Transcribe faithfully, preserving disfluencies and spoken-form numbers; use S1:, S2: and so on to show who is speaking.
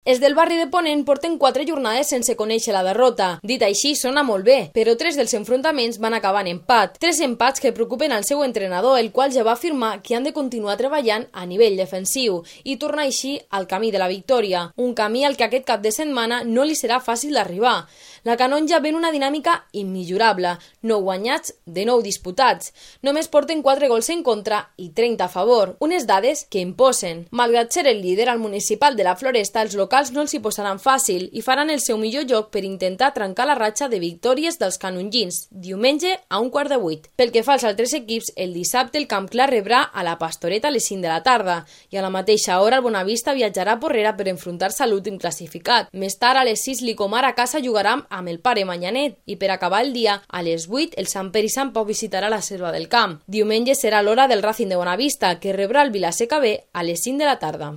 S1: Els del barri de Ponent porten quatre jornades sense conèixer la derrota. Dit així, sona molt bé, però tres dels enfrontaments van acabar en empat. Tres empats que preocupen al seu entrenador, el qual ja va afirmar que han de continuar treballant a nivell defensiu i tornar així al camí de la victòria, un camí al que aquest cap de setmana no li serà fàcil d'arribar. La Canonja ven una dinàmica immillorable, nou guanyats de nou disputats. Només porten quatre gols en contra i trenta a favor, unes dades que imposen. Malgrat ser el líder al municipal de la Floresta, els locals no els hi posaran fàcil i faran el seu millor joc per intentar trencar la ratxa de victòries dels canongins, diumenge a un quart de vuit. Pel que fa als altres equips, el dissabte el Camp Clar rebrà a la Pastoreta a les cinc de la tarda i a la mateixa hora el Bonavista viatjarà a Porrera per enfrontar-se a l'últim classificat. Més tard, a les sis, l'Icomar a casa jugarà amb el Pare Manyanet i per acabar el dia, a les vuit, el Sant Pere i Sant Pau visitarà la Selva del Camp. Diumenge serà l'hora del Racing de Bonavista, que rebrà el Vilaseca B a les cinc de la tarda.